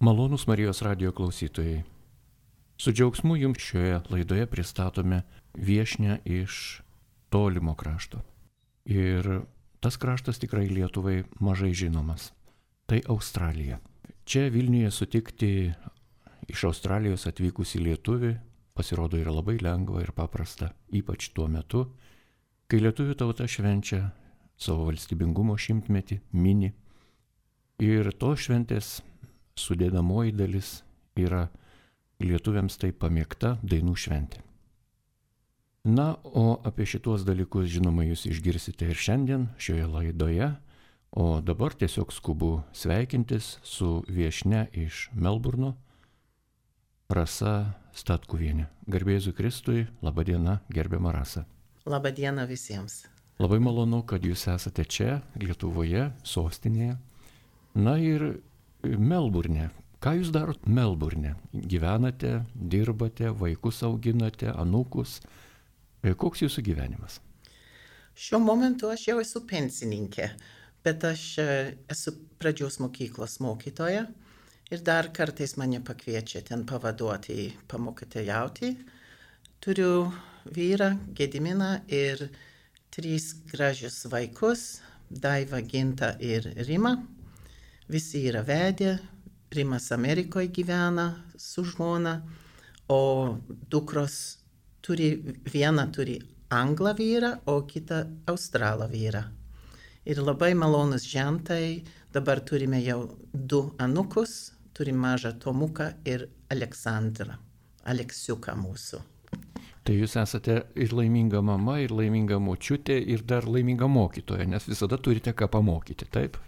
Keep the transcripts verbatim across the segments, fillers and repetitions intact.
Malonūs Marijos radijo klausytojai. Su džiaugsmu jums šioje laidoje pristatome viešnią iš tolimo krašto. Ir tas kraštas tikrai Lietuvai mažai žinomas. Tai Australija. Čia Vilniuje sutikti iš Australijos atvykusį lietuvį pasirodo yra labai lengva ir paprasta, ypač tuo metu, kai lietuvių tauta švenčia savo valstybingumo šimtmetį, mini. Ir to šventės sudėdamoji dalis yra lietuviams taip pamėgta dainų šventė. Na, o apie šitos dalykus, žinoma, jūs išgirsite ir šiandien šioje laidoje, o dabar tiesiog skubu sveikintis su viešnia iš Melburno, Rasa Statkuvienė. Garbėzu Kristui, laba diena, gerbiama Rasa. Labą dieną visiems. Labai malonu, kad jūs esate čia, Lietuvoje, sostinėje. Na ir Melburne. Ką jūs darot Melburne? Gyvenate, dirbate, vaikus auginate, anūkus. Koks jūsų gyvenimas? Šiuo momentu aš jau esu pensininkė, bet aš esu pradžios mokyklos mokytoja ir dar kartais mane pakviečia ten pavaduoti, pamokytojauti. Turiu vyrą Gediminą ir trys gražius vaikus, Daiva, Ginta ir Rima. Visi yra vedę, Rimas Amerikoje gyvena su žmona, o dukros turi, viena turi anglą vyrą, o kita australą vyrą. Ir labai malonus žentai, dabar turime jau du anūkus, turim mažą Tomuką ir Aleksandrą, Aleksiuką mūsų. Tai jūs esate ir laiminga mama, ir laiminga močiutė, ir dar laiminga mokytoja, nes visada turite ką pamokyti, taip?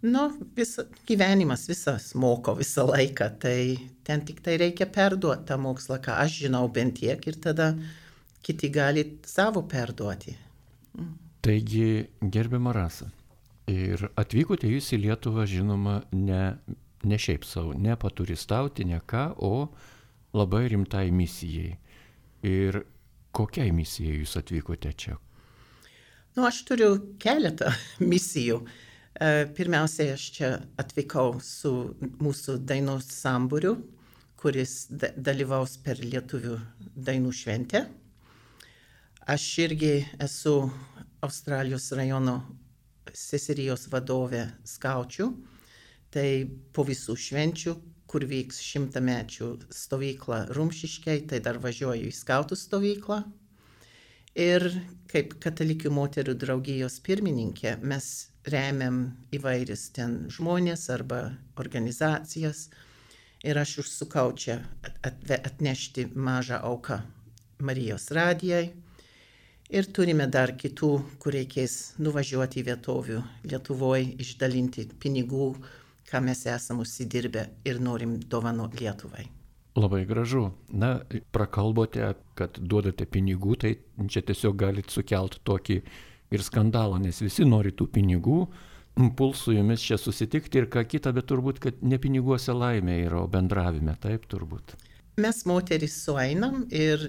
Nu, visa, gyvenimas visas moko visą laiką, tai ten tik tai reikia perduoti tą mokslą, ką aš žinau bent tiek, ir tada kiti gali savo perduoti. Mm. Taigi, gerbiama Rasa, ir atvykote jūs į Lietuvą, žinoma, ne, ne šiaip savo, ne paturistauti, ne ką, o labai rimtai misijai. Ir kokiai misijai jūs atvykote čia? Nu, aš turiu keletą misijų. Pirmiausiai aš čia atvykau su mūsų dainos sambūriu, kuris da- dalyvaus per lietuvių dainų šventę. Aš irgi esu Australijos rajono seserijos vadovė skaučių. Tai po visų švenčių, kur vyks šimtamečių stovykla Rumšiškėj, tai dar važiuoju į skautų stovyklą. Ir kaip katalikių moterų draugijos pirmininkė mes remiam įvairius ten žmonės arba organizacijas. Ir aš užsukau čia atve, atnešti mažą auką Marijos radijai. Ir turime dar kitų, kur reikės nuvažiuoti į vietovių Lietuvoje, išdalinti pinigų, ką mes esam užsidirbę ir norim dovanoti Lietuvai. Labai gražu. Na, prakalbote, kad duodate pinigų, tai čia tiesiog galite sukelti tokį ir skandalą, nes visi nori tų pinigų, puls su jumis čia susitikti ir ką kita, bet turbūt, kad ne piniguose laimė yra, o bendravime, taip turbūt. Mes moteris sueinam ir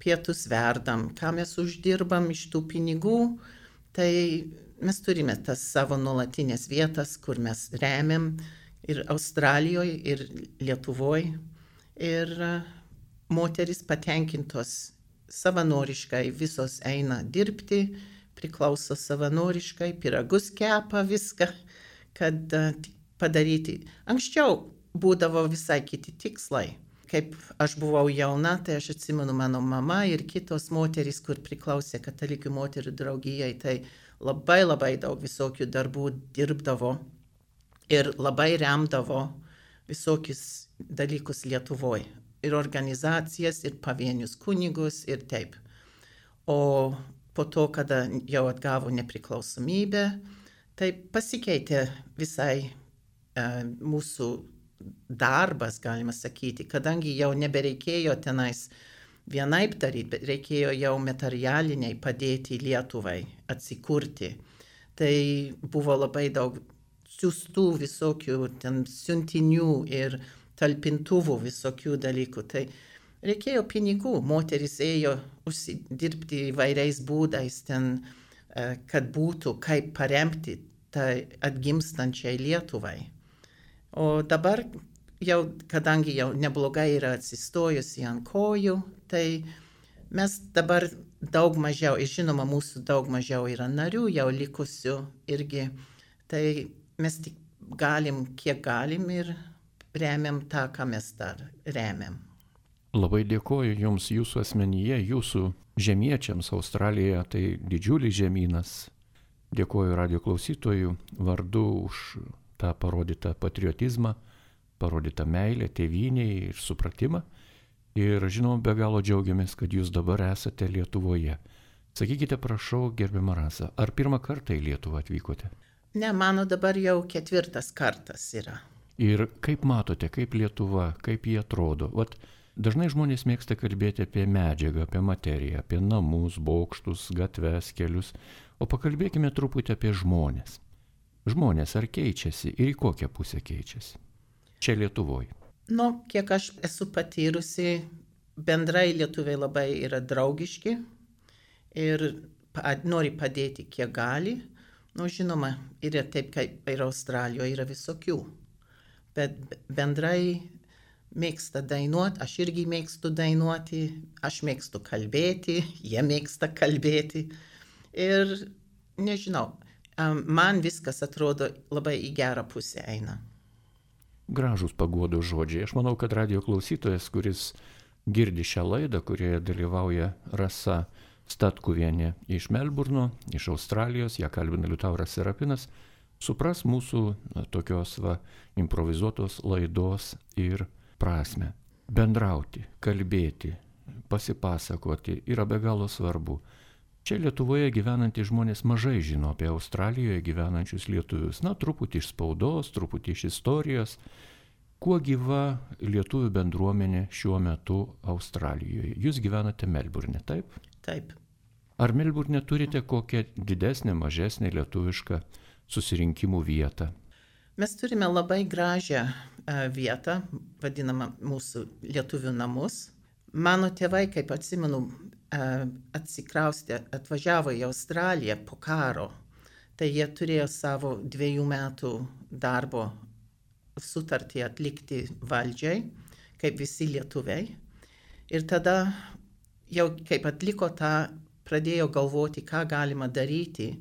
pietus verdam, ką mes uždirbam iš tų pinigų, tai mes turime tas savo nuolatinės vietas, kur mes remiam ir Australijoje, ir Lietuvoje. Ir moteris patenkintos savanoriškai visos eina dirbti, priklauso savanoriškai, pyragus kepa viską, kad padaryti. Anksčiau būdavo visai kiti tikslai. Kaip aš buvau jauna, tai aš atsimenu mano mama ir kitos moterys, kur priklausė katalikių moterų draugijai, tai labai labai daug visokių darbų dirbdavo ir labai remdavo visokius dalykus Lietuvoje. Ir organizacijas, ir pavienius kunigus, ir taip. O po to, kada jau atgavo nepriklausomybę, tai pasikeitė visai uh, mūsų darbas, galima sakyti, kadangi jau nebereikėjo tenais vienaip daryti, bet reikėjo jau materialiniai padėti Lietuvai atsikurti. Tai buvo labai daug siųstų visokių ten siuntinių ir talpintuvų visokių dalykų. Tai reikėjo pinigų, moteris ėjo užsidirbti įvairiais būdais ten, kad būtų kaip paremti tai atgimstančiai Lietuvai. O dabar jau, kadangi jau neblogai yra atsistojusi ant kojų, tai mes dabar daug mažiau, ir žinoma, mūsų daug mažiau yra narių, jau likusių irgi, tai mes tik galim, kiek galim ir remiam tą, ką mes dar remiam. Labai dėkoju Jums Jūsų asmenyje, Jūsų žemiečiams Australijoje, tai didžiulis žemynas. Dėkoju radio klausytojų vardu už tą parodytą patriotizmą, parodytą meilę, tėvynei ir supratimą. Ir žinoma, be galo džiaugiamės, kad Jūs dabar esate Lietuvoje. Sakykite, prašau, gerbiama Rasa, ar pirmą kartą į Lietuvą atvykote? Ne, mano dabar jau ketvirtas kartas yra. Ir kaip matote, kaip Lietuva, kaip jie atrodo? Vat dažnai žmonės mėgsta kalbėti apie medžiagą, apie materiją, apie namus, bokštus, gatves, kelius, o pakalbėkime truputį apie žmonės. Žmonės ar keičiasi ir į kokią pusę keičiasi? Čia Lietuvoje. Nu, kiek aš esu patyrusi, bendrai lietuviai labai yra draugiški ir nori padėti, kiek gali. Nu, žinoma, yra taip, kaip ir Australijoje yra visokių, bet bendrai mėgsta dainuoti, aš irgi mėgstu dainuoti, aš mėgstu kalbėti, jie mėgsta kalbėti ir nežinau, man viskas atrodo labai į gerą pusę eina. Gražūs paguodos žodžiai. Aš manau, kad radio klausytojas, kuris girdi šią laidą, kurioje dalyvauja Rasa Statkuvienė iš Melburno, iš Australijos, ją kalbina Liutauras Serapinas, supras mūsų na, tokios va, improvizuotos laidos ir prasme. Bendrauti, kalbėti, pasipasakoti yra be galo svarbu. Čia Lietuvoje gyvenantys žmonės mažai žino apie Australijoje gyvenančius lietuvius. Na, truputį iš spaudos, truputį iš istorijos. Kuo gyva lietuvių bendruomenė šiuo metu Australijoje? Jūs gyvenate Melburne, taip? Taip. Ar Melburne turite kokią didesnę, mažesnę lietuvišką susirinkimų vietą? Mes turime labai gražią uh, vietą, vadinamą mūsų lietuvių namus. Mano tėvai, kaip atsimenu, uh, atsikraustė, atvažiavo į Australiją po karo. Tai jie turėjo savo dviejų metų darbo sutartį atlikti valdžiai, kaip visi lietuviai. Ir tada jau kaip atliko tą, pradėjo galvoti, ką galima daryti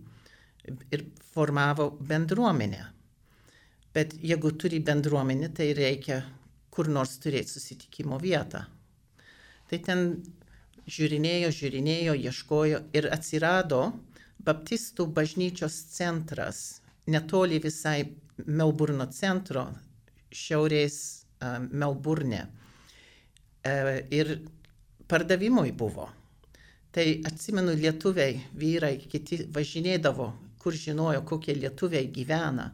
ir formavo bendruomenę. Bet jeigu turi bendruomenę, tai reikia kur nors turėti susitikimo vietą. Tai ten žiūrinėjo, žiūrinėjo, ieškojo ir atsirado Baptistų bažnyčios centras, netoli visai Melburno centro, šiaurės uh, Melburne. Uh, ir pardavimui buvo. Tai atsimenu, lietuviai, vyrai, kiti važinėdavo, kur žinojo, kokie lietuviai gyvena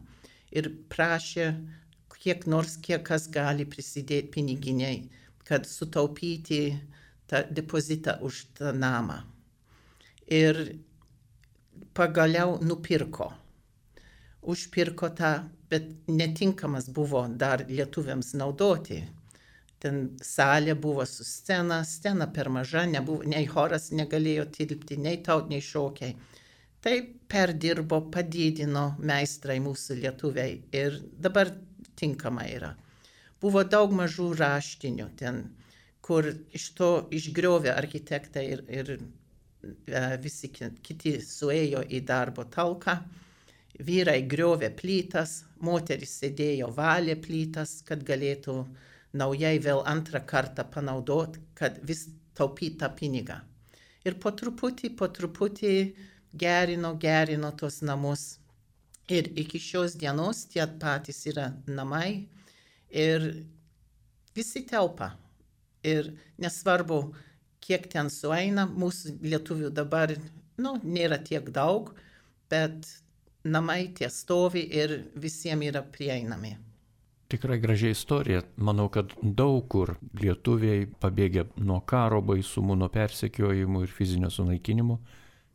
ir prašė, kiek nors, kiek kas gali prisidėti piniginiai, kad sutaupyti tą depozitą už tą namą. Ir pagaliau nupirko. Užpirko tą, bet netinkamas buvo dar lietuviams naudoti. Ten salė buvo su scena, scena per maža, nebuvo, nei choras negalėjo tilpti, nei tautiniai šokiai. Tai perdirbo, padidino meistrai mūsų lietuviai ir dabar tinkama yra. Buvo daug mažų raštinių ten, kur iš to išgriovė architektai ir, ir uh, visi kiti suėjo į darbo talką. Vyrai griovė plytas, moteris sėdėjo valė plytas, kad galėtų naujai vėl antrą kartą panaudoti, kad vis taupytą pinigą. Ir po truputį, po truputį gerino, gerino tos namus. Ir iki šios dienos tie patys yra namai ir visi telpa. Ir nesvarbu, kiek ten sueina, mūsų lietuvių dabar, nu, nėra tiek daug, bet namai tie stovi ir visiems yra prieinami. Tikrai gražiai istorija. Manau, kad daug kur lietuviai pabėgę nuo karo baisumų, nuo persekiojimų ir fizinio sunaikinimo,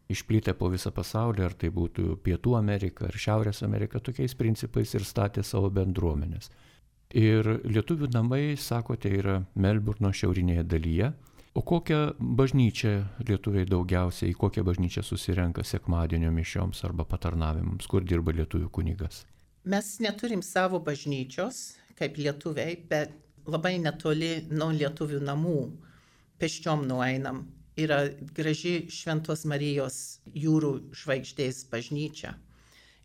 išplitę po visą pasaulį, ar tai būtų Pietų Amerika ar Šiaurės Amerika, tokiais principais ir statė savo bendruomenės. Ir lietuvių namai, sakote, yra Melburno šiaurinėje dalyje. O kokią bažnyčią lietuviai daugiausiai, į kokią bažnyčią susirenka sekmadienio mišioms arba patarnavimams, kur dirba lietuvių kunigas? Mes neturim savo bažnyčios, kaip lietuviai, bet labai netoli nuo lietuvių namų. Pėsčiom nueinam. Yra graži Šventos Marijos jūrų žvaigždės bažnyčia.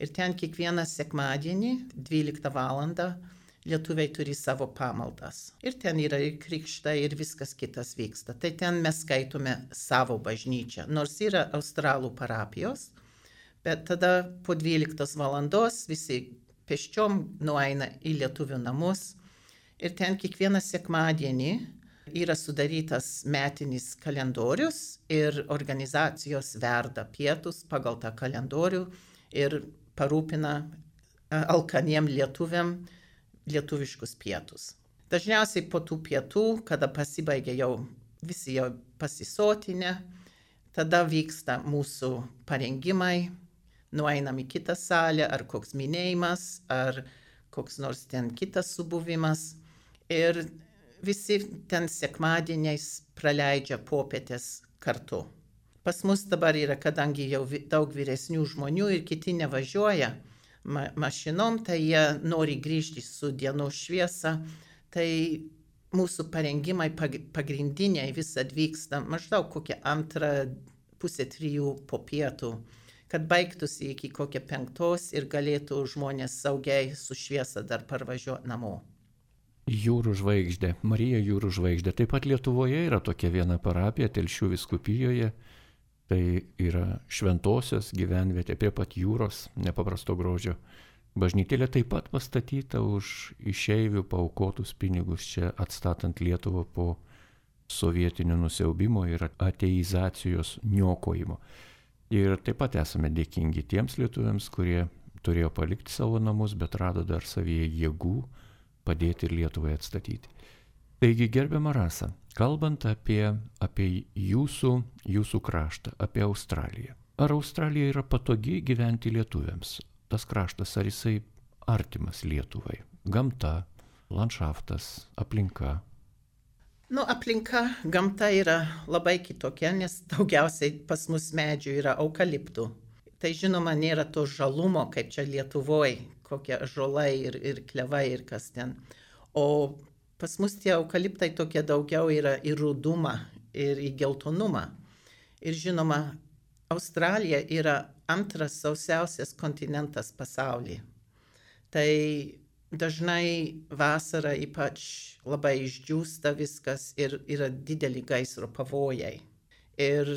Ir ten kiekvieną sekmadienį, dvyliktą valandą, lietuviai turi savo pamaldas. Ir ten yra ir krikštai, ir viskas kitas vyksta. Tai ten mes skaitome savo bažnyčią, nors yra australų parapijos, bet tada po dvyliktos valandos visi pėsčiom nueina į lietuvių namus. Ir ten kiekvieną sekmadienį yra sudarytas metinis kalendorius ir organizacijos verda pietus pagal tą kalendorių ir parūpina alkaniem lietuviam lietuviškus pietus. Dažniausiai po tų pietų, kada pasibaigia jau visi jau pasisotinę, tada vyksta mūsų parengimai, nueinam į kitą salę, ar koks minėjimas, ar koks nors ten kitas subuvimas. Ir visi ten sekmadieniais praleidžia popietės kartu. Pas mus dabar yra, kadangi jau daug vyresnių žmonių ir kiti nevažiuoja ma mašinom, tai jie nori grįžti su dienos šviesa, tai mūsų parengimai pagrindiniai visad vyksta maždaug kokią antrą pusę trijų po pietų, kad baigtųsi iki kokią penktos ir galėtų žmonės saugiai su šviesa dar parvažiuoti namo. Jūrų žvaigždė, Marija jūrų žvaigždė. Taip pat Lietuvoje yra tokia viena parapija Telšių vyskupijoje. Tai yra šventosios gyvenvietė prie pat jūros, nepaprasto grožio. Bažnytėlė taip pat pastatyta už išeivių paaukotus pinigus čia atstatant Lietuvą po sovietinio nusiaubimo ir ateizacijos niokojimo. Ir taip pat esame dėkingi tiems lietuviams, kurie turėjo palikti savo namus, bet rado dar savyje jėgų padėti ir Lietuvai atstatyti. Taigi, gerbiama Rasa, kalbant apie, apie jūsų, jūsų kraštą, apie Australiją. Ar Australija yra patogi gyventi lietuviams? Tas kraštas, ar jisai artimas Lietuvai? Gamta, landšaftas, aplinka? Nu, aplinka, gamta yra labai kitokia, nes daugiausiai pas mus medžių yra eukaliptų. Tai žinoma, nėra to žalumo, kaip čia Lietuvoje, kokie ąžuolai ir, ir klevai ir kas ten. O pas mus tie eukaliptai tokie daugiau yra į rudumą ir į geltonumą. Ir žinoma, Australija yra antras sausiausias kontinentas pasaulyje. Tai dažnai vasarą ypač labai išdžiūsta viskas ir yra dideli gaisro pavojai. Ir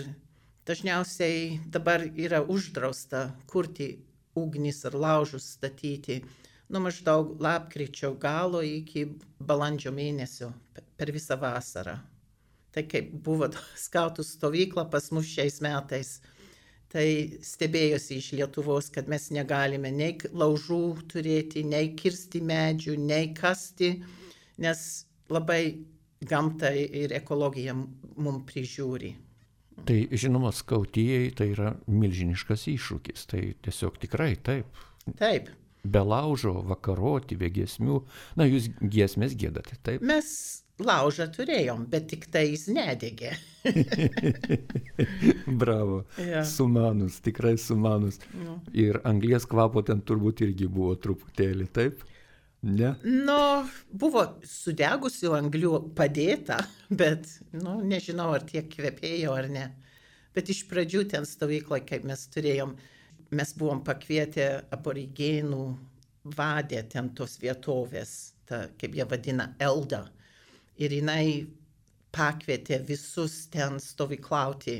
dažniausiai dabar yra uždrausta kurti ugnis ar laužus statyti nuo maždaug lapkričio galo iki balandžio mėnesio per visą vasarą. Tai kaip buvo skautų stovykla pas mus šiais metais, tai stebėjosi iš Lietuvos, kad mes negalime nei laužų turėti, nei kirsti medžių, nei kasti, nes labai gamta ir ekologija mums prižiūri. Tai žinoma, skautijai tai yra milžiniškas iššūkis, tai tiesiog tikrai taip. Taip. Be laužo, vakaroti, be giesmių, na jūs giesmės giedate, taip? Mes laužą turėjom, bet tik tai jis nedegė. Bravo, ja. Sumanus, tikrai sumanus. No. Ir anglies kvapo ten turbūt irgi buvo truputėlį, taip? Ne? Nu, buvo sudegusių anglių padėta, bet, nu, nežinau, ar tiek kvepėjo ar ne. Bet iš pradžių ten stovyklai, kaip mes turėjom, mes buvom pakvietę aborigenų vadę ten tos vietovės, ta, kaip jie vadina, Elda. Ir jinai pakvietė visus ten stovyklauti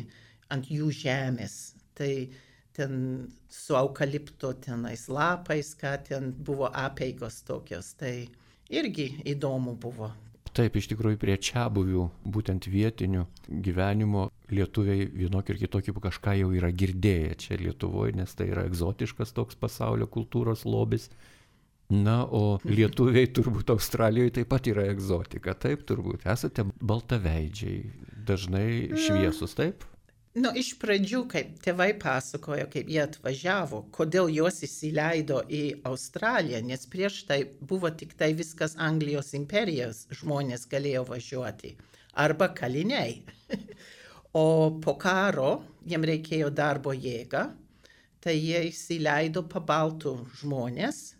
ant jų žemės. Tai ten su eukalipto tenais lapais, ką ten buvo apeigos tokios, tai irgi įdomu buvo. Taip, iš tikrųjų prie čiabuvių, būtent vietinių gyvenimo lietuviai vienokį ir kitokį kažką jau yra girdėję čia Lietuvoje, nes tai yra egzotiškas toks pasaulio kultūros lobis. Na, o lietuviai turbūt Australijoje taip pat yra egzotika, taip turbūt. Esate baltaveidžiai, dažnai šviesus, taip? Nu, iš pradžių, kaip tėvai pasakojo, kaip jie atvažiavo, kodėl juos įsileido į Australiją, nes prieš tai buvo tik tai viskas Anglijos imperijos žmonės galėjo važiuoti, arba kaliniai. O po karo jiem reikėjo darbo jėgą, tai jie įsileido pabaltų žmonės,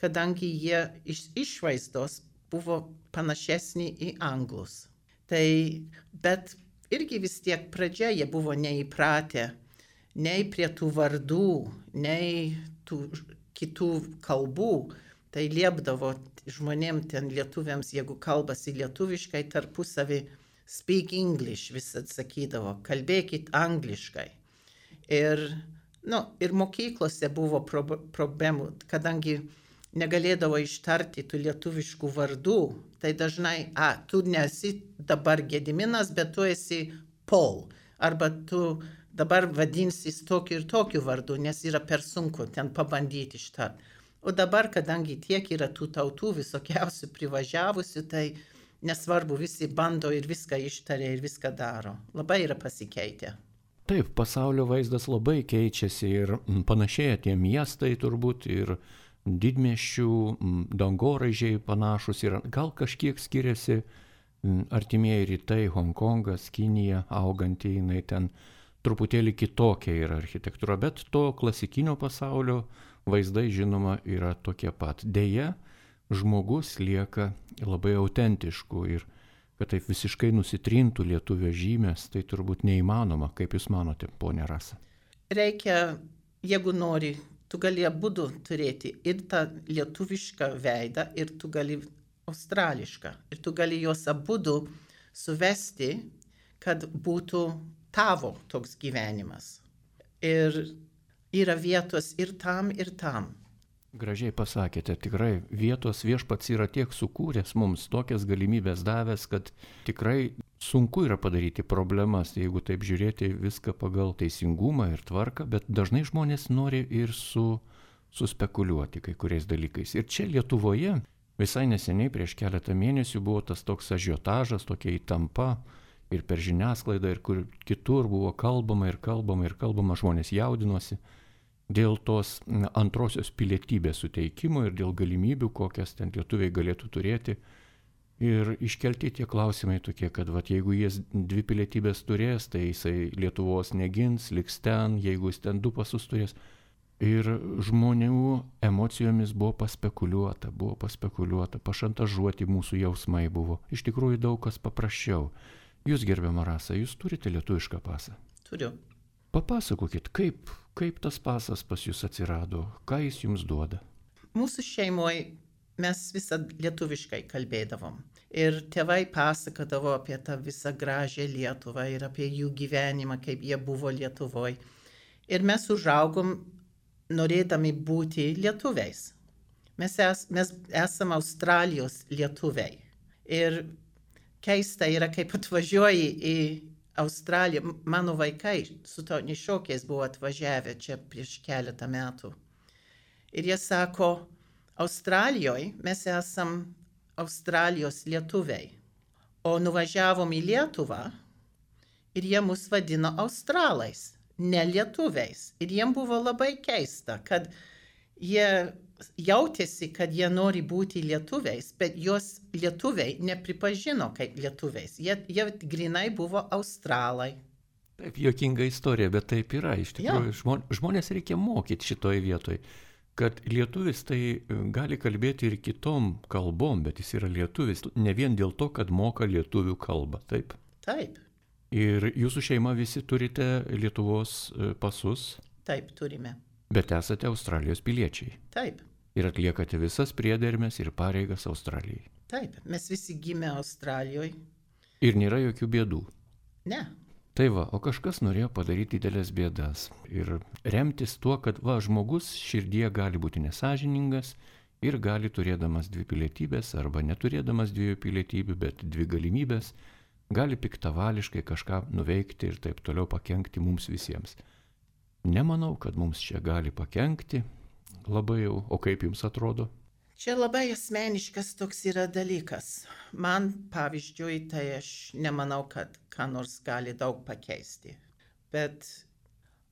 kadangi jie iš išvaizdos buvo panašesni į anglus. Tai, bet irgi vis tiek pradžia jie buvo neįpratę nei prie tų vardų, nei tų kitų kalbų. Tai liepdavo žmonėm ten lietuviams, jeigu kalbasi lietuviškai, tarpusavį speak English, vis atsakydavo, kalbėkit angliškai. Ir, nu, ir mokyklose buvo pro- problemų, kadangi negalėdavo ištarti tų lietuviškų vardų, tai dažnai, a, tu nesi dabar Gediminas, bet tu esi Paul, arba tu dabar vadinsis tokiu ir tokiu vardu, nes yra per sunku ten pabandyti ištarti. O dabar, kadangi tiek yra tų tautų visokiausių privažiavusių, tai nesvarbu, visi bando ir viską ištaria ir viską daro. Labai yra pasikeitę. Taip, pasaulio vaizdas labai keičiasi ir panašėja tie miestai turbūt ir didmiesčių dangoraižiai panašus ir gal kažkiek skiriasi artimieji rytai, Hongkongas, Kinija, auganti jinai ten truputėlį kitokia yra architektūra, bet to klasikinio pasaulio vaizdai žinoma yra tokie pat. Deja, žmogus lieka labai autentišku ir kad taip visiškai nusitrintų lietuvio žymės, tai turbūt neįmanoma. Kaip Jūs manote, ponė Rasa? Reikia, jeigu nori, tu gali abudu turėti ir tą lietuvišką veidą, ir tu gali australišką. Ir tu gali juos abudu suvesti, kad būtų tavo toks gyvenimas. Ir yra vietos ir tam, ir tam. Gražiai pasakėte, tikrai vietos viešpats yra tiek sukūręs mums, tokias galimybės davęs, kad tikrai sunku yra padaryti problemas, jeigu taip žiūrėti viską pagal teisingumą ir tvarką, bet dažnai žmonės nori ir su, suspekuliuoti kai kuriais dalykais. Ir čia Lietuvoje visai neseniai prieš keletą mėnesių buvo tas toks ažiotažas, tokia įtampa ir per žiniasklaidą, ir kur kitur buvo kalbama ir kalbama ir kalbama, žmonės jaudinosi dėl tos antrosios pilietybės suteikimo ir dėl galimybių, kokias ten lietuviai galėtų turėti. Ir iškelti tie klausimai tokie, kad vat, jeigu jis dvi pilietybės turės, tai jisai Lietuvos negins, liks ten, jeigu jis ten du pasus turės. Ir žmonių emocijomis buvo paspekuliuota, buvo paspekuliuota, pašantažuoti mūsų jausmai buvo. Iš tikrųjų daug kas paprasčiau. Jūs, gerbiama Rasa, jūs turite lietuvišką pasą? Turiu. Papasakokit, kaip, kaip tas pasas pas jūs atsirado, ką jis jums duoda? Mūsų šeimoje mes visą lietuviškai kalbėdavom. Ir tėvai pasakodavo apie tą visą gražią Lietuvą ir apie jų gyvenimą, kaip jie buvo Lietuvoje. Ir mes užaugom norėdami būti lietuviais. Mes, es, mes esame Australijos lietuviai. Ir keista yra, kaip atvažiuoji į Australiją. Mano vaikai su tautiniais šokiais buvo atvažiavę čia prieš keletą metų. Ir jie sako, Australijoje mes esam Australijos lietuviai. O nuvažiavom į Lietuvą ir jie mus vadino australais, ne lietuviais. Ir jiem buvo labai keista, kad jie jautėsi, kad jie nori būti lietuviais, bet jos lietuviai nepripažino kaip lietuviais. Jie, jie grinai buvo australai. Taip, juokinga istorija, bet taip yra. Iš tikrųjų, ja. Žmonės reikia mokyti šitoj vietoj, kad lietuvis tai gali kalbėti ir kitom kalbom, bet jis yra lietuvis ne vien dėl to, kad moka lietuvių kalbą. Taip? Taip. Ir jūsų šeima visi turite Lietuvos pasus? Taip, turime. Bet esate Australijos piliečiai. Taip. Ir atliekate visas priedermes ir pareigas Australijai. Taip, mes visi gimė Australijoje. Ir nėra jokių bėdų. Ne. Tai va, o kažkas norėjo padaryti didelės bėdas. Ir remtis tuo, kad va, žmogus širdyje gali būti nesažiningas ir gali turėdamas dvi pilietybės arba neturėdamas dviejų pilietybių, bet dvi galimybės, gali piktavališkai kažką nuveikti ir taip toliau pakenkti mums visiems. Nemanau, kad mums čia gali pakenkti labai jau, o kaip jums atrodo? Čia labai asmeniškas toks yra dalykas. Man, pavyzdžiui, tai aš nemanau, kad ką nors gali daug pakeisti. Bet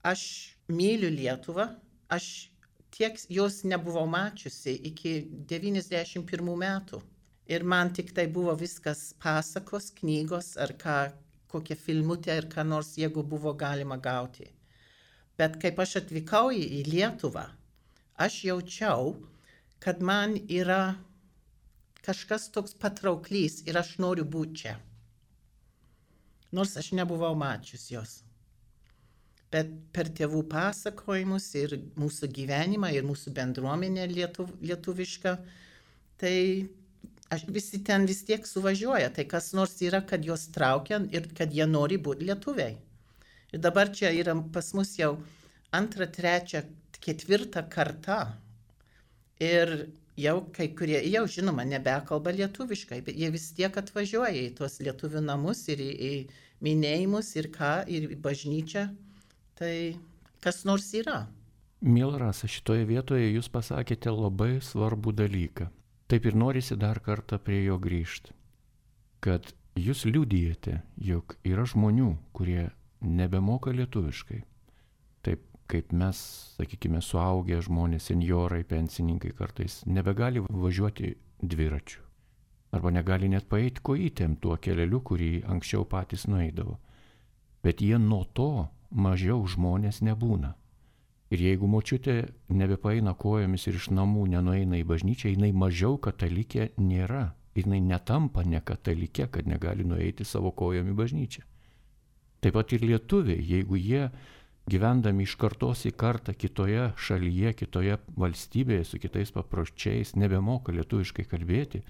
aš myliu Lietuvą, aš tiek jos nebuvau mačiusi iki devyniasdešimt pirmų metų. Ir man tik tai buvo viskas pasakos, knygos ar ką, kokia filmutė ar ką nors, jeigu buvo galima gauti. Bet kaip aš atvykau į Lietuvą, aš jaučiau, kad man yra kažkas toks patrauklys ir aš noriu būti čia. Nors aš nebuvau mačius jos. Bet per tėvų pasakojimus ir mūsų gyvenimą ir mūsų bendruomenę lietuv, lietuvišką, tai aš, visi ten vis tiek suvažiuoja. Tai kas nors yra, kad juos traukia ir kad jie nori būti lietuviai. Ir dabar čia yra pas mus jau antra, trečia, ketvirta karta. Ir jau kai kurie, jau žinoma, nebekalba lietuviškai, bet jie vis tiek atvažiuoja į tuos lietuvių namus ir į, į minėjimus ir ką, ir į bažnyčią. Tai kas nors yra. Miela Rasa, šitoje vietoje jūs pasakėte labai svarbų dalyką. Taip ir norisi dar kartą prie jo grįžti. Kad jūs liudijate, jog yra žmonių, kurie nebemoka lietuviškai. Taip kaip mes, sakykime, suaugę žmonės, senjorai, pensininkai kartais nebegali važiuoti dviračiu. Arba negali net paeiti kojytėm tuo keleliu, kurį anksčiau patys nueidavo. Bet jie nuo to mažiau žmonės nebūna. Ir jeigu močiutė nebepaeina kojomis ir iš namų nenueina į bažnyčią, jinai mažiau katalikė nėra. Jinai netampa ne katalikė, kad negali nueiti savo kojom į bažnyčią. Taip pat ir lietuviai, jeigu jie gyvendami iš kartos į kartą kitoje šalyje, kitoje valstybėje, su kitais papročiais, nebemoka lietuviškai kalbėti,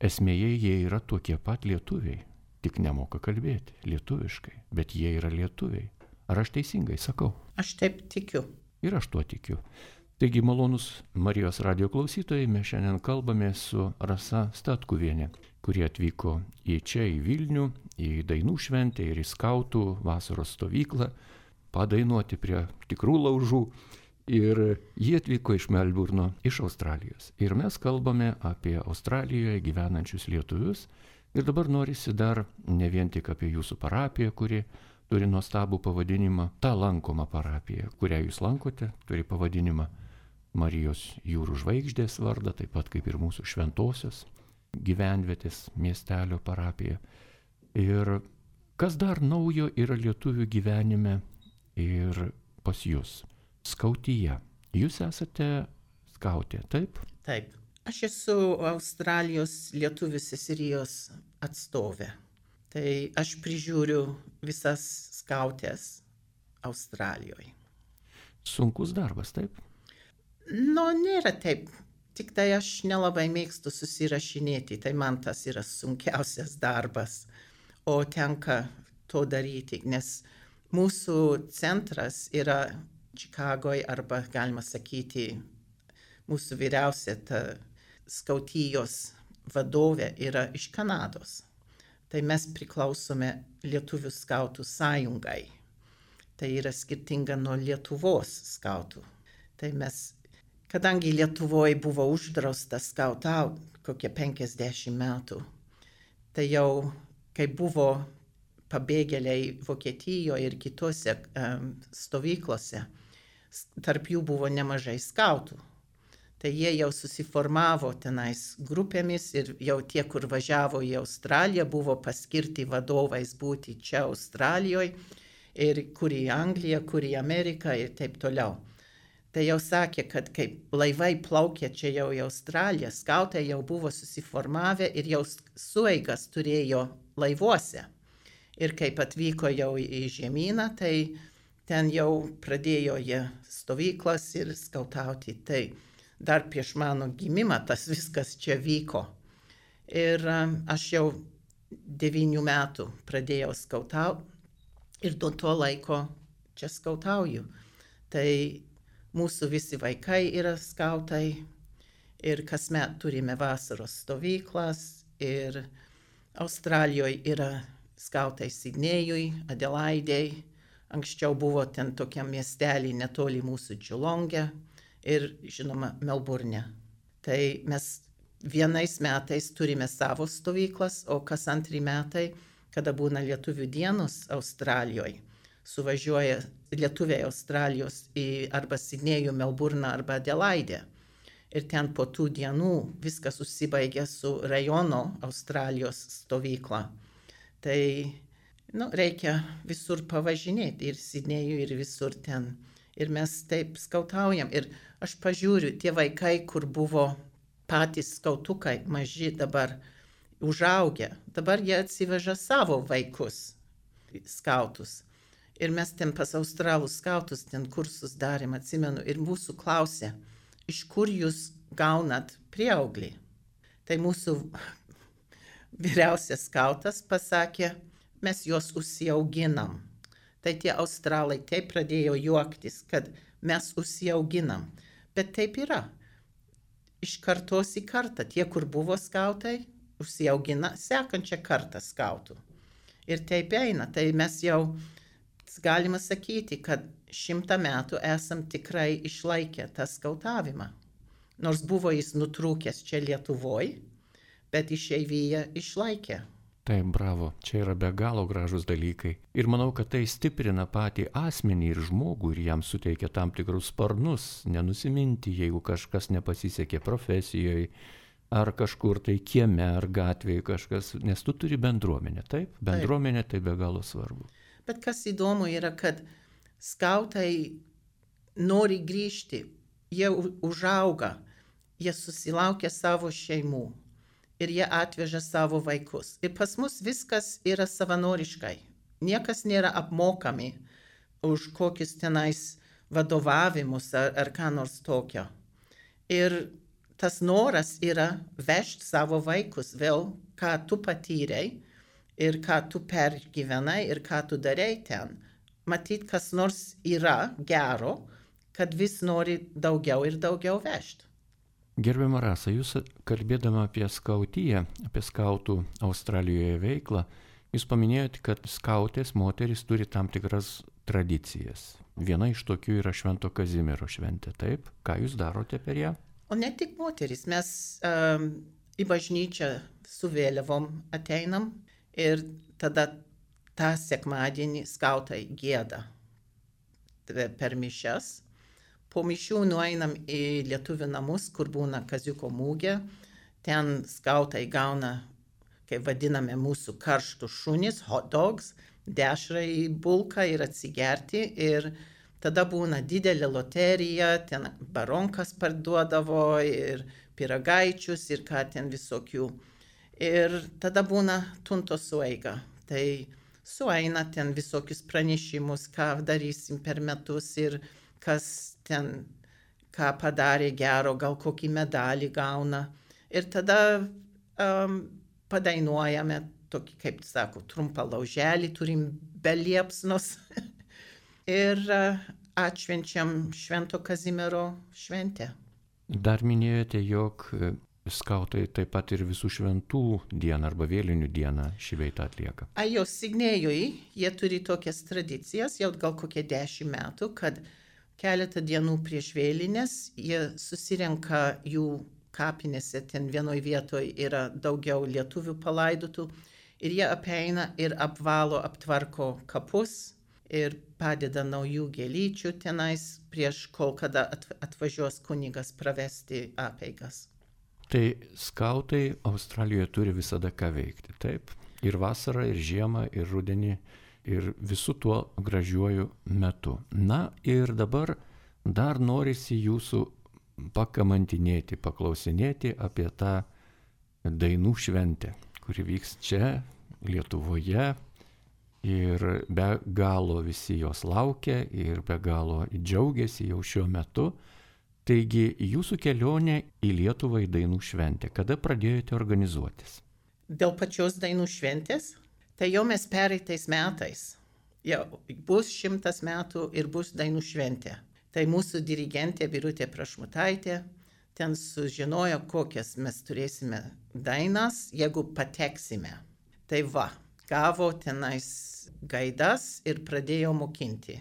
esmėje jie yra tokie pat lietuviai, tik nemoka kalbėti lietuviškai, bet jie yra lietuviai. Ar aš teisingai sakau? Aš taip tikiu. Ir aš tuo tikiu. Taigi, malonus Marijos radijo klausytojai, mes šiandien kalbame su Rasa Statkuvienė, kuri atvyko į čia, į Vilnių, į dainų šventę ir į skautų vasaros stovyklą, padainuoti prie tikrų laužų. Ir jie atvyko iš Melburno, iš Australijos. Ir mes kalbame apie Australijoje gyvenančius lietuvius. Ir dabar norisi dar ne vien tik apie jūsų parapiją, kuri turi nuostabų pavadinimą, ta lankoma parapija, kurią jūs lankote, turi pavadinimą Marijos jūrų žvaigždės vardą, taip pat kaip ir mūsų šventosios gyvenvietės miestelio parapija. Ir kas dar naujo yra lietuvių gyvenime ir pas jūs? Skautyje. Jūs esate skautė, taip? Taip. Aš esu Australijos lietuvių seserijos atstovė. Tai aš prižiūriu visas skautės Australijoje. Sunkus darbas, taip? Nu, nėra taip. Tik tai aš nelabai mėgstu susirašinėti. Tai man tas yra sunkiausias darbas. O tenka to daryti, nes mūsų centras yra Čikagoje arba, galima sakyti, mūsų vyriausia ta skautijos vadovė yra iš Kanados. Tai mes priklausome Lietuvių skautų sąjungai. Tai yra skirtinga nuo Lietuvos skautų. Tai mes, kadangi Lietuvoje buvo uždrausta skautauti kokie penkiasdešimt metų, tai jau, kai buvo pabėgėliai Vokietijoje ir kitose um, stovyklose, tarp jų buvo nemažai skautų. Tai jie jau susiformavo tenais grupėmis ir jau tie, kur važiavo į Australiją, buvo paskirti vadovais būti čia Australijoje ir kur į Angliją, kur į Ameriką ir taip toliau. Tai jau sakė, kad kai laivai plaukė čia jau į Australiją, skautai jau buvo susiformavę ir jau sueigas turėjo laivuose. Ir kaip atvyko jau į žemyną, tai ten jau pradėjo jie stovyklas ir skautauti. Tai dar prieš mano gimimą tas viskas čia vyko. Ir um, aš jau devynių metų pradėjau skautauti ir nuo to laiko čia skautauju. Tai mūsų visi vaikai yra skautai ir kasmet turime vasaros stovyklas ir Australijoje yra skautai Sidnėjui, Adelaidei. Anksčiau buvo ten tokia miestelį netoli mūsų Geelonge. Ir, žinoma, Melburne. Tai mes vienais metais turime savo stovyklas, o kas antrį metai, kada būna lietuvių dienos Australijoje, suvažiuoja lietuviai Australijos į arba Sidnėjų, Melburną arba Adelaidę. Ir ten po tų dienų viskas užsibaigia su rajono Australijos stovykla. Tai, nu, reikia visur pavažinėti, ir Sidnėjų, ir visur ten. Ir mes taip skautaujam. Ir aš pažiūriu, tie vaikai, kur buvo patys skautukai maži dabar užaugę, dabar jie atsiveža savo vaikus skautus. Ir mes ten pas australų skautus ten kursus darėm, atsimenu, ir mūsų klausė, iš kur jūs gaunat prieauglį. Tai mūsų vyriausias skautas pasakė, mes juos užsiauginam. Tai tie australai taip pradėjo juoktis, kad mes užsiauginam. Bet taip yra. Iš kartos į kartą tie, kur buvo skautai, užsiaugina sekančią kartą skautų. Ir taip eina. Tai mes jau galima sakyti, kad šimtą metų esam tikrai išlaikę tą skautavimą. Nors buvo jis nutrūkęs čia Lietuvoj, bet išeivyje išlaikė. Taip, bravo, čia yra be galo gražus dalykai. Ir manau, kad tai stiprina patį asmenį ir žmogų ir jam suteikia tam tikrus sparnus, nenusiminti, jeigu kažkas nepasisekė profesijoje, ar kažkur tai kieme, ar gatvėje kažkas, nes tu turi bendruomenę, taip? Bendruomenė tai be galo svarbu. Bet kas įdomu yra, kad skautai nori grįžti, jie užauga, jie susilaukia savo šeimų. Ir jie atveža savo vaikus. Ir pas mus viskas yra savanoriškai. Niekas nėra apmokami už kokius tenais vadovavimus ar, ar ką nors tokio. Ir tas noras yra vežti savo vaikus vėl, ką tu patyrei ir ką tu pergyvenai ir ką tu darei ten. Matyt, kas nors yra gero, kad vis nori daugiau ir daugiau vežti. Gerbiama Rasa, jūs kalbėdama apie skautiją, apie skautų Australijoje veiklą, jūs paminėjote, kad skautės moterys turi tam tikras tradicijas. Viena iš tokių yra Švento Kazimiero šventė, taip? Ką jūs darote per ją? O ne tik moterys, mes um, į bažnyčią su vėliavom ateinam ir tada tą sekmadienį skautai gieda per mišias. Po mišių nueinam į lietuvių namus, kur būna kaziuko mūgė. Ten skautai gauna, kaip vadiname, mūsų karštų šunis, hot dogs, dešrą į bulką ir atsigerti. Ir tada būna didelė loterija, ten baronkas parduodavo ir pyragaičius ir ką ten visokių. Ir tada būna tunto sueiga. Tai sueina ten visokius pranešimus, ką darysim per metus ir kas ten, ką padarė gero, gal kokį medalį gauna. Ir tada um, padainuojame tokį, kaip sako, trumpą lauželį, turim be liepsnos. Ir uh, atšvenčiam Švento Kazimiero šventę. Dar minėjote, jog skautai taip pat ir visų šventų dieną arba vėlinių dieną šį veitą atlieka. A jo Signėjui, jie turi tokias tradicijas, jau gal kokie dešimt metų, kad keletą dienų prieš vėlinės jie susirenka jų kapinėse, ten vienoj vietoj yra daugiau lietuvių palaidotų ir jie apeina ir apvalo, aptvarko kapus ir padeda naujų gėlyčių tenais prieš kol kada atvažiuos kunigas pravesti apeigas. Tai skautai Australijoje turi visada ką veikti, taip? Ir vasarą, ir žiemą, ir rudenį, ir visų tuo gražiuoju metu. Na ir dabar dar norisi jūsų pakamantinėti, paklausinėti apie tą dainų šventę, kuri vyks čia, Lietuvoje. Ir be galo visi jos laukia ir be galo džiaugiasi jau šiuo metu. Taigi jūsų kelionė į Lietuvą į dainų šventę. Kada pradėjote organizuotis? Dėl pačios dainų šventės? Tai jau mes pereitais metais. Jau bus šimtas metų ir bus dainų šventė. Tai mūsų dirigentė Birutė Prašmutaitė ten sužinojo, kokias mes turėsime dainas, jeigu pateksime. Tai va, gavo tenais gaidas ir pradėjo mokinti.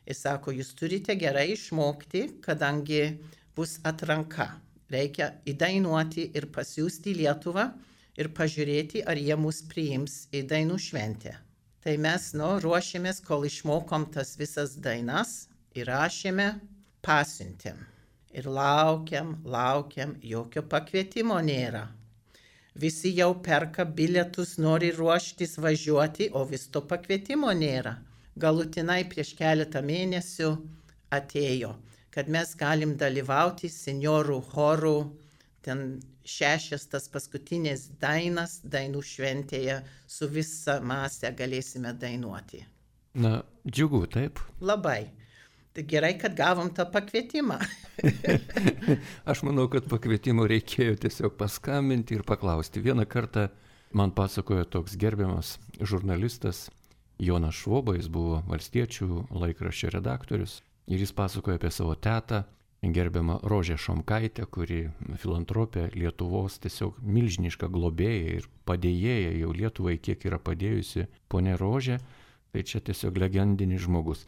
Jis sako, jūs turite gerai išmokti, kadangi bus atranka. Reikia įdainuoti ir pasiųsti į Lietuvą ir pažiūrėti, ar jie mus priims į dainų šventę. Tai mes, nu, ruošėmės, kol išmokom tas visas dainas, įrašėme, pasiuntėm. Ir laukiam, laukiam, jokio pakvietimo nėra. Visi jau perka bilietus, nori ruoštis važiuoti, o vis to pakvietimo nėra. Galutinai prieš keletą mėnesių atėjo, kad mes galim dalyvauti senjorų chorų ten šešias tas paskutinės dainas dainų šventėje su visa masė galėsime dainuoti. Na, džiugu, taip? Labai. Tai gerai, kad gavom tą pakvietimą. Aš manau, kad pakvietimo reikėjo tiesiog paskambinti ir paklausti. Vieną kartą man pasakojo toks gerbiamas žurnalistas Jonas Švoba, jis buvo Valstiečių laikraščio redaktorius, ir jis pasakojo apie savo tetą, gerbiamą Rožę Šomkaitę, kuri filantropė Lietuvos tiesiog milžiniška globėja ir padėjėja jau Lietuvai, kiek yra padėjusi ponė Rožė, tai čia tiesiog legendinis žmogus.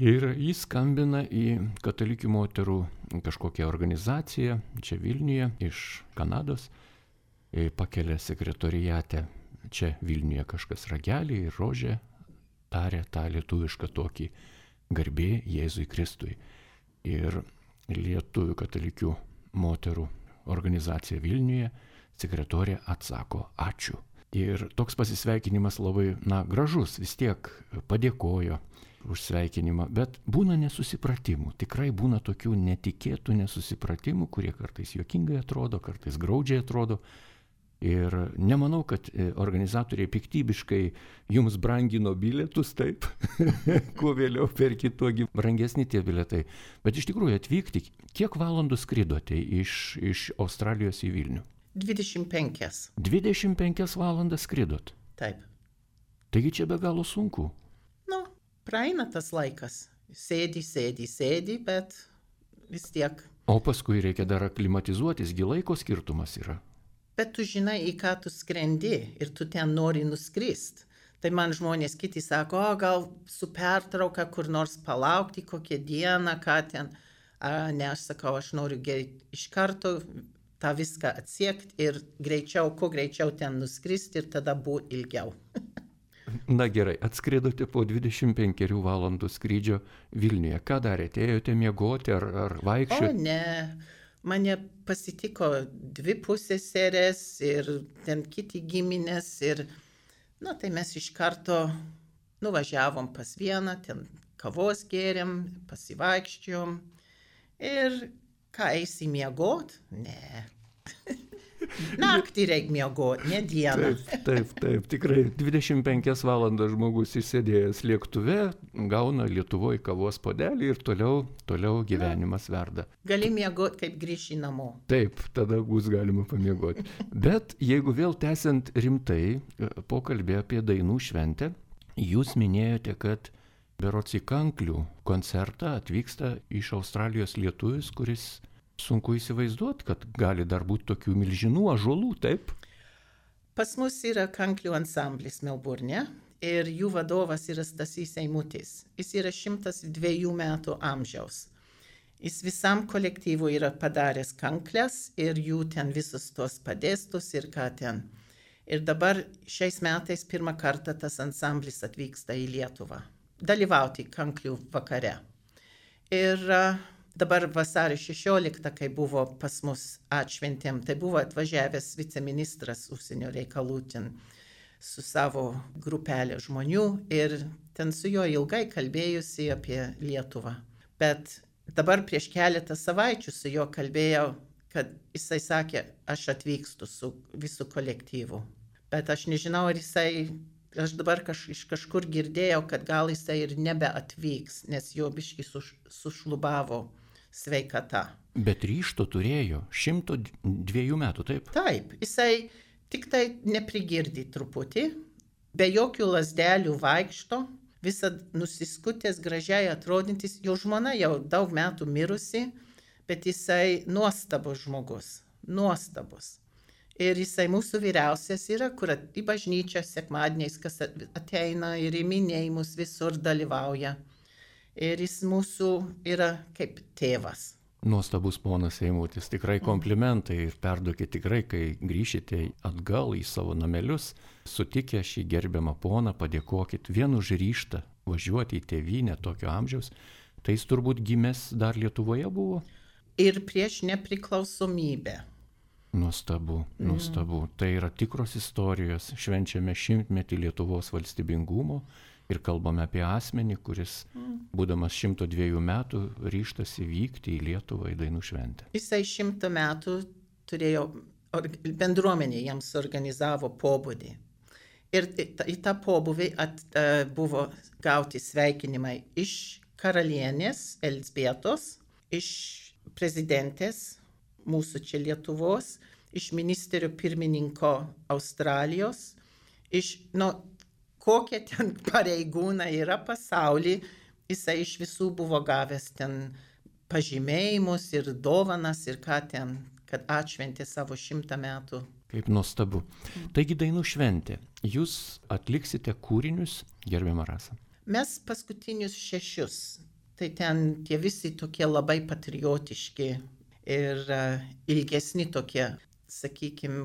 Ir jis skambina į katalikių moterų kažkokią organizaciją čia Vilniuje iš Kanados, pakelia sekretoriate čia Vilniuje kažkas ragelį ir Rožė tarė tą lietuvišką tokį garbė Jėzui Kristui. Ir lietuvių katalikių moterų organizacija Vilniuje sekretorė atsako ačiū. Ir toks pasisveikinimas labai, na, gražus, vis tiek padėkojo už sveikinimą, bet būna nesusipratimų, tikrai būna tokių netikėtų nesusipratimų, kurie kartais juokingai atrodo, kartais graudžiai atrodo. Ir nemanau, kad organizatoriai piktybiškai jums brangino bilietus, taip, kuo vėliau perki, tuogi brangesni tie bilietai. Bet iš tikrųjų atvykti, kiek valandų skridote iš, iš Australijos į Vilnių? dvidešimt penkias. dvidešimt penkias valandas skridot? Taip. Taigi čia be galo sunku. Nu, praeina tas laikas. Sėdi, sėdi, sėdi, bet vis tiek. O paskui reikia dar aklimatizuotis, gi laiko skirtumas yra. Bet tu žinai, į ką tu skrendi ir tu ten nori nuskrist. Tai man žmonės kiti sako, o gal su pertrauka kur nors palaukti kokią dieną, ką ten. A, ne, aš sakau, aš noriu gerai iš karto tą viską atsiekti ir greičiau, kuo greičiau ten nuskrist ir tada būti ilgiau. Na gerai, atskridote po dvidešimt penkių valandų skrydžio Vilniuje. Ką darėte? Ėjote miegoti ar, ar vaikščioti? O ne, mane pasitiko dvi pusseserės ir ten kiti giminės ir, na tai mes iš karto nuvažiavom pas vieną, ten kavos gėrėm, pasivaikščiom ir ką eisi miegot? Ne. Naktį reikia miegoti, ne dieną. Taip, taip, taip, tikrai dvidešimt penkias valandas žmogus įsėdėjęs lėktuve, gauna Lietuvoje kavos puodelį ir toliau, toliau gyvenimas verda. Gali miegoti, kaip grįši namo. Taip, tada bus galima pamiegoti. Bet jeigu vėl tęsiant rimtai pokalbį apie dainų šventę, jūs minėjote, kad berods į Kanklių koncertą atvyksta iš Australijos lietuvis, kuris sunku įsivaizduoti, kad gali dar būti tokių milžinų ąžuolų, taip? Pas mus yra Kanklių ansamblis Melburne ir jų vadovas yra Stasys Eimutis. Jis yra šimtas dviejų metų amžiaus. Jis visam kolektyvui yra padaręs kankles ir jų ten visus tos padėstus ir ką ten. Ir dabar šiais metais pirmą kartą tas ansamblis atvyksta į Lietuvą. Dalyvauti Kanklių vakare. Ir uh, dabar vasario šešioliktą, kai buvo pas mus atšventėm, tai buvo atvažiavęs viceministras užsienio reikalų ten su savo grupelė žmonių ir ten su juo ilgai kalbėjusi apie Lietuvą. Bet dabar prieš keletą savaičių su juo kalbėjau, kad jisai sakė, aš atvykstu su visų kolektyvu. Bet aš nežinau, ar jisai... Aš dabar kaž, iš kažkur girdėjau, kad gal jisai ir nebeatvyks, nes jo biškį suš, sušlubavo sveikata. Bet ryžto turėjo šimto dviejų metų, taip? Taip, jisai tik tai neprigirdi truputį, be jokių lasdelių vaikšto, visad nusiskutęs, gražiai atrodantis, jo žmona jau daug metų mirusi, bet jisai nuostabus žmogus, nuostabus. Ir jisai mūsų vyriausias yra, kur į bažnyčią sekmadieniais, kas ateina ir į minėjimus visur dalyvauja. Ir jis mūsų yra kaip tėvas. Nuostabus ponas Eimutis, tikrai komplimentai ir perduokite tikrai, kai grįšite atgal į savo namelius, sutikę šį gerbiamą poną, padėkokit vien už ryžtą važiuoti į tėvynę tokio amžiaus. Tai jis turbūt gimęs dar Lietuvoje buvo? Ir prieš nepriklausomybę. Nuostabu, nuostabu. Mm. Tai yra tikros istorijos. Švenčiame šimtmetį Lietuvos valstybingumo ir kalbame apie asmenį, kuris, mm. būdamas šimto dviejų metų, ryžtasi vykti į Lietuvą į dainų šventę. Jisai šimtą metų turėjo, bendruomenė jiems organizavo pobūdį. Ir į tą pobūvį at, uh, buvo gauti sveikinimai iš karalienės Elzbietos, iš prezidentės mūsų čia Lietuvos, iš ministerio pirmininko Australijos, iš, nu, kokie ten pareigūnai yra pasauly, jisai iš visų buvo gavęs ten pažymėjimus ir dovanas ir ką ten, kad atšventė savo šimtą metų. Kaip nuostabu. Taigi dainų šventė. Jūs atliksite kūrinius, gerbiama Rasa? Mes paskutinius šešius. Tai ten tie visi tokie labai patriotiški ir uh, ilgesni tokie, sakykime,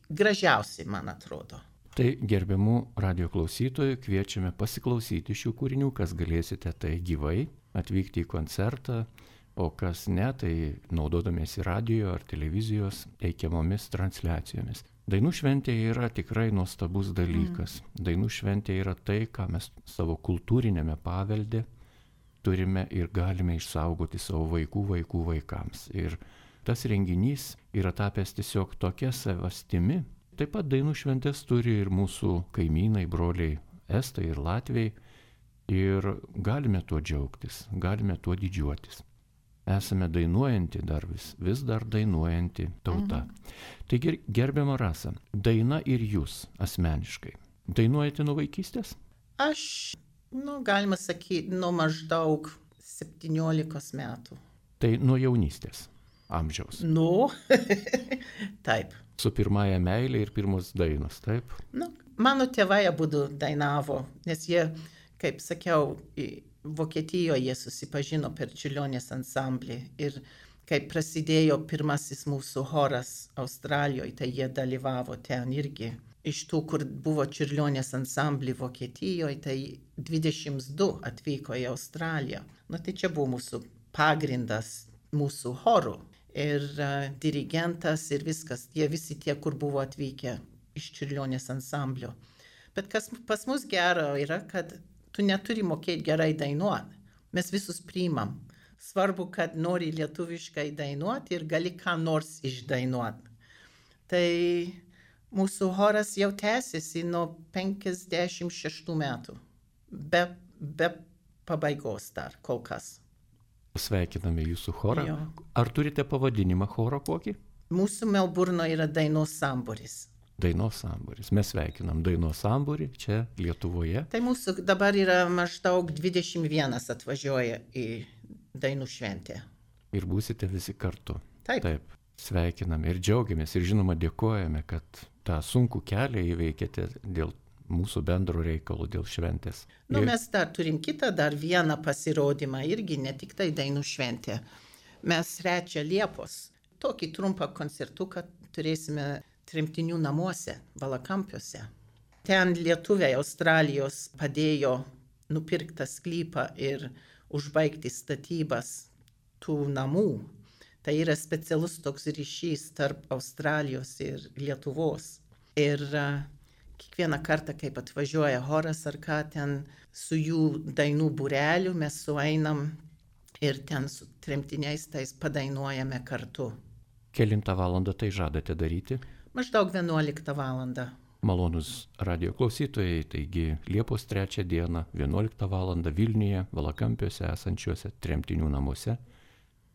gražiausi, man atrodo. Tai gerbiamų radio klausytojų kviečiame pasiklausyti šių kūrinių, kas galėsite tai gyvai atvykti į koncertą, o kas ne, tai naudodamiesi radio ar televizijos teikiamomis transliacijomis. Dainų šventė yra tikrai nuostabus dalykas. Mm. Dainų šventė yra tai, ką mes savo kultūrinėme pavelde turime ir galime išsaugoti savo vaikų vaikų vaikams. Ir tas renginys yra tapęs tiesiog tokia savastimi. Taip pat dainų šventės turi ir mūsų kaimynai, broliai estai ir latviai. Ir galime tuo džiaugtis, galime tuo didžiuotis. Esame dainuojanti dar vis, vis dar dainuojanti tauta. Mhm. Taigi, gerbiama Rasa, daina ir jūs asmeniškai. Dainuojate nuo vaikystės? Aš, nu, galima sakyti, nuo maždaug septyniolikos metų. Tai nuo jaunystės amžiaus? Nu, taip. Su pirmąja meilė ir pirmos dainos, taip? Nu, mano tėvai abudu dainavo, nes jie, kaip sakiau, Vokietijoje susipažino per Čiurlionės ansamblį ir kai prasidėjo pirmasis mūsų choras Australijoje, tai jie dalyvavo ten irgi. Iš tų, kur buvo Čiurlionės ansamblį Vokietijoje, tai dvidešimt du atvyko į Australiją. Nu, tai čia buvo mūsų pagrindas mūsų chorų. Ir uh, dirigentas ir viskas, jie visi tie, kur buvo atvykę iš Čiurlionės ansamblio. Bet kas pas mus gero yra, kad tu neturi mokėti gerai dainuoti. Mes visus priimam. Svarbu, kad nori lietuviškai dainuoti ir gali ką nors išdainuoti. Tai mūsų choras jau tęsiasi nuo penkiasdešimt šeštų metų. Be, be pabaigos dar kol kas. Sveikiname jūsų chorą. Jo. Ar turite pavadinimą choro kokį? Mūsų Melburno yra dainos samburis. Dainos samburis. Mes sveikinam dainos samburį čia Lietuvoje. Tai mūsų dabar yra maždaug dvidešimt vienas atvažiuoja į dainų šventę. Ir būsite visi kartu. Taip. Taip. Sveikiname ir džiaugiamės ir žinoma dėkojame, kad tą sunkų kelią įveikėte dėl mūsų bendro reikalo, dėl šventės. Nu, ir... mes dar turim kitą, dar vieną pasirodymą irgi, ne tik tai dainų šventė. Mes trečią Liepos tokį trumpą koncertuką turėsime tremtinių namuose, Valakampiuose. Ten lietuviai Australijos padėjo nupirktą sklypą ir užbaigti statybas tų namų. Tai yra specialus toks ryšys tarp Australijos ir Lietuvos. Ir uh, kiekvieną kartą, kaip atvažiuoja choras ar ką ten su jų dainų būreliu, mes sueinam ir ten su tremtiniais tais padainuojame kartu. Kelintą valandą tai žadate daryti? Maždaug vienuoliktą valandą. Malonus radio klausytojai, taigi Liepos trečią dieną, vienuoliktą valandą Vilniuje, Valakampiuose esančiuose tremtinių namuose,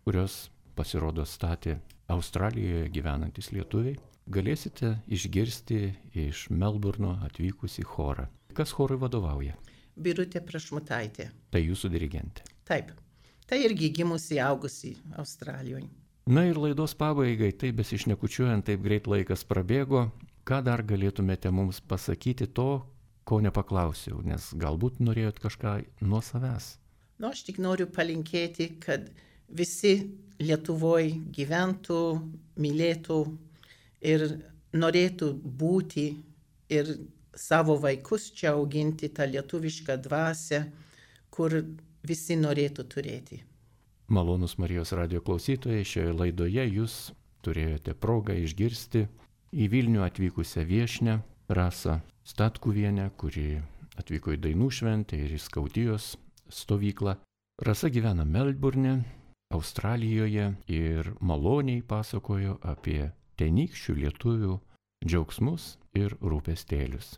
kurios pasirodo statė Australijoje gyvenantis lietuviai, galėsite išgirsti iš Melburno atvykusį chorą. Kas chorui vadovauja? Birutė Prašmutaitė. Tai jūsų dirigentė. Taip. Tai irgi gimusi, augusi Australijoje. Na ir laidos pabaigai, taip besišnekučiuojant, taip greit laikas prabėgo. Ką dar galėtumėte mums pasakyti to, ko nepaklausiau, nes galbūt norėjot kažką nuo savęs? Nu, aš tik noriu palinkėti, kad visi Lietuvoje gyventų, mylėtų ir norėtų būti ir savo vaikus čia auginti tą lietuvišką dvasią, kur visi norėtų turėti. Malonus Marijos radio klausytojai, šioje laidoje jūs turėjote progą išgirsti į Vilnių atvykusią viešnią Rasą Statkuvienę, kuri atvyko į dainų šventę ir į Skautijos stovyklą. Rasa gyvena Melburne, Australijoje ir maloniai pasakojo apie tenykščių lietuvių džiaugsmus ir rūpestėlius.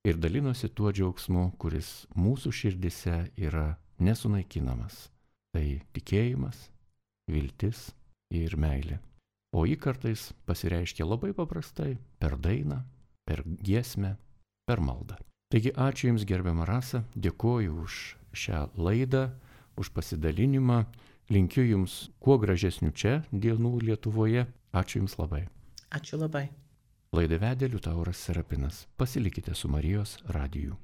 Ir dalinosi tuo džiaugsmu, kuris mūsų širdise yra nesunaikinamas. Tai tikėjimas, viltis ir meilė. O jį kartais pasireiškia labai paprastai per dainą, per giesmę, per maldą. Taigi ačiū Jums, gerbiama Rasa, dėkoju už šią laidą, už pasidalinimą. Linkiu Jums kuo gražesnių čia dienų Lietuvoje. Ačiū Jums labai. Ačiū labai. Laidą vedė Liutauras Serapinas. Pasilikite su Marijos radiju.